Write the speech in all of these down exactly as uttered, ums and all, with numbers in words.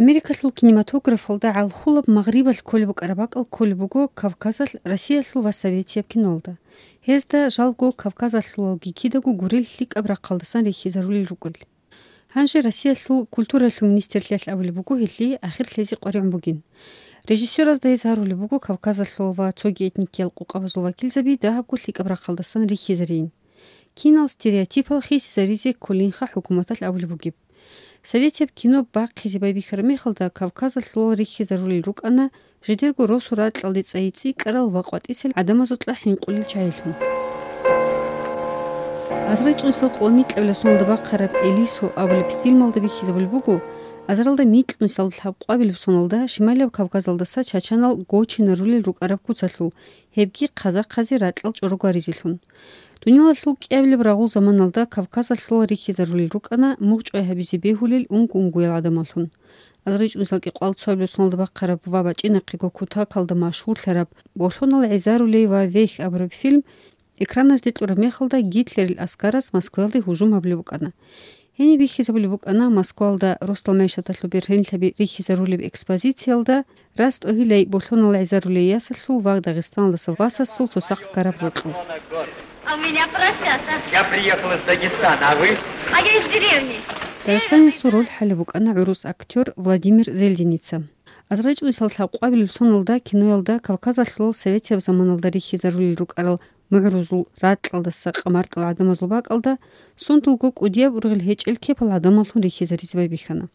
Америкалъул кинематографалда гӀалхулаб магърибалъ кколеб букӀараб бакӀал кколеб буго Кавказалъ Россиялъул ва Советияб кинолда. Гьезда жалго Кавказалъулалги кидаго гурел лъикӀаб рахъалдасан рихьизарулел рукӀел. Гьанже Россиялъул культуралъул министрлъиялъ абулеб буго гьелъие ахир лъезе къваригӀун бугин. Режиссёразда гьез гьарулеб буго Кавказалъул ва цоги этникиял къукъабазул вакилзаби дагьабго лъикӀаб рахъалдасан рихьизарийин. Кинал стереотипал хисизаризе кколинха хӀукуматалъ абулеб бугеб. Советияб кино бахъизе байбихьараб мехалда Кавказалъулал рихьизарулел рукӀана жидерго росу ракьалде цӀайи цӀикӀкӀарал ва къватӀисел гӀадамазукьа хӀинкъулел чагӀилъун. Азарил чӀунсал къо микьабилеб соналда бахъараб «Элисо» абулеб фильмалда бихьизабулеб буго, азаралда микьнусал лъабкъвабилеб соналда Шималияб Кавказалдаса чачанал гочинарулел рукӀараб куцалъул, гьебги хъазахъазе ракьал чӀорогваризелъун. Дуниялалъул кӀиабилеб рагъул заманалда Кавказалъул рихьизарулел рукӀана мугъчӀвай гьабизе бегьулел унго-унгоял гӀадамаллъун. Азарил чӀунсал кӀикъоялда цоабилеб соналда бахъараб ва бачӀинахъего кутакалда машгьурлъараб «Болъонал гӀезарулей ва вехь» абураб фильм экраназде кьураб мехалда Гитлерил аскараз Москваялде гьужум гьабулеб букӀана. Гьениб бихьизабулеб букӀана Москваялда росдал мегӀшаталъул бергьенлъаби рихьизарулеб экспозициялда рас тӀогьилай болъонал гӀезарулей ясалъул ва Дагъистаналдаса васасул цоцахъ ккараб рокьул. А у меня поросята. Я приехал из Дагестана, а вы? А я из деревни. Дагъистаналъул роль хӀалеб букӀана гӀурус актёр Владимир Зельденица. Азарил чӀунсал лъабкъвабилеб соналда киноялда Кавказалъулал советияб заманалда рихьизарулел рукӀарал мугӀрузул, ракьалдаса къамартӀал гӀадамазул бакӀалда сундулго кӀудияб ургъел гьечӀел кепал гӀадамаллъун рихьизаризе байбихьана.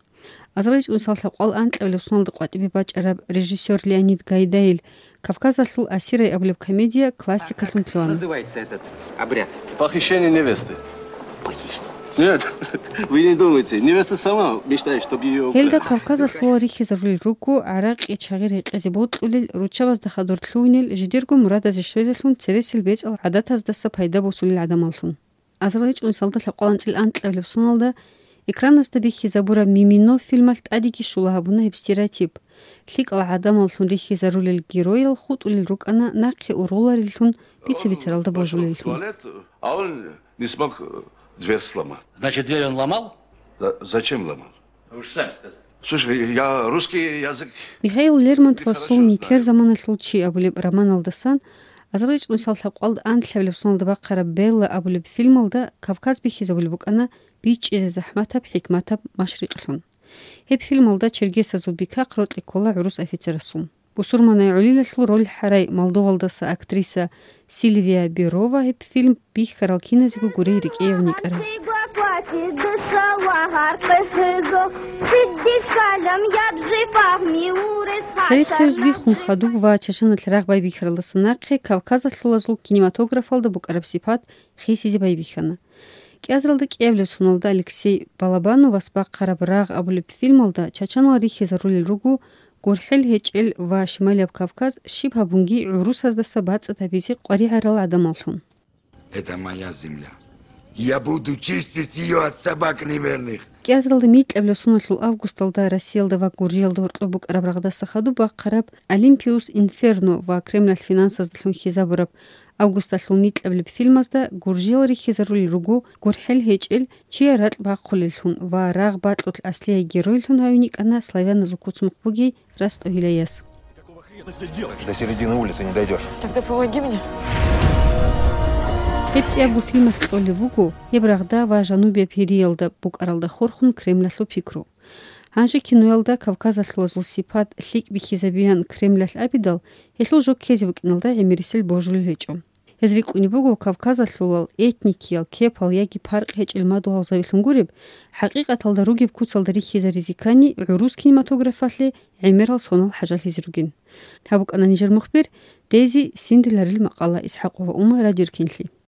Азарил чӀунсал лъабкъвал анкьабилеб соналда къватӀибе бачӀараб режиссёр Леонид Гайдайил «Кавказалъул асирай» абулеб комедия классикалъун лъугьана. Называется этот обряд? Похищение невесты. Нет, вы не думайте. Невеста сама мечтает, чтобы её украли. Гьелда Кавказалъул рихьизарулел руго гӀаракъи чагъир гьекъезе бокьулел, руччабазда хадур лъугьунел, жидерго мурадазе щвезелъун цересел бецӀал гӀадаздаса пайда босулел гӀадамаллъун. Азарил чӀунсалда лъабкъвал анцӀил анкьабилеб соналда экраназда бихьизабураб «Мимино» фильмалъ тӀадеги щула гьабуна гьеб стереотип. ЛъикӀал гӀадамаллъун рихьизарулел геройал хутӀулел рукӀана нахъе ургъулареллъун, бица-бицаралда божулеллъун. Туалет, а он не смог, э, дверь сломать. Значит, дверь он ломал? Да, зачем ломал? Вы же сами сказали. Слушай, я русский язык... Михаил Лермонтовасул «Нилъер заманалъул чи» абулеб романалдасан Азарил чӀунсал лъабкъвал анлъабилеб соналда бахъараб «Белла» абулеб фильмалда Кавказ бихьизабулеб букӀана бичӀчӀизе захӀматаб, хӀикматаб машрикълъун. Гьеб фильмалда чергесазул бикахъ рокьи ккола гӀурус офицерасул. Бусурманай гӀолилалъул роль хӀарай Молдовалдаса актриса Сильвия Берова гьеб фильм бихьарал киназего гурей рикӀкӀей гӀуникӀара. Совет Союз биххун хадуб ва Чачаналъ рагъ байбихьаралдаса нахъе кавказалъулазул кинематографалда букӀараб сипат хисизе байбихьана. КӀиазаралда кӀиабилеб соналда Алексей Балабановас бахъараб «Рагъ» абулеб фильмалда чачанал рихьизарулел руго гурхӀел гьечӀел ва Шималияб Кавказ щиб гьабунги гӀурусаздаса бацӀцӀад гьабизе къваригӀарал гӀадамаллъун. Это моя земля. Я буду чистить её от собак неверных. КӀиазаралда микьабилеб соналъул августалда Россиялда ва Гуржиялда гьоркьоб букӀараб рагъдаса хадуб бахъараб «Олимпиус Инферно» ва Кремлалъ финансаздалъун хьизабураб августалъул микьабилеб фильмазда гуржиял рихьизарулел руго гурхӀел гьечӀел чияр ракь бахъулеллъун ва рагъ бакьулъ аслияй геройлъун гьавиникӀана славяназул куцмухъ бугей рас тӀогьилаяс. До середины улицы не дойдёшь. Тогда помоги мне. Гьеб кӀиябго фильмалъ кьолеб буго гьеб рагъда ва жанубияб Гьириялда букӀаралда хурхун Кремлалъул пикру. Гьанже киноялда кавказалъулазул сипат лъикӀ бихьизабеян Кремлалъ абидал, гьелъул жо ккезе букӀиналда гӀемерисел божулел гьечӀо. Гьез рикӀкӀунеб буго кавказалъулал этникиял кепал яги паркъ гьечӀел мадугьалзабилъун гуреб, хӀакъикъаталда ругеб куцалда рихьизаризе ккани гӀурус кинематографалъе гӀемерал сонал хӀажалъизе ругин. Гьаб букӀана нижер мухбир Дези Синдиларил макъала. ИсхӀакъова Ума, Радиоркинлъи.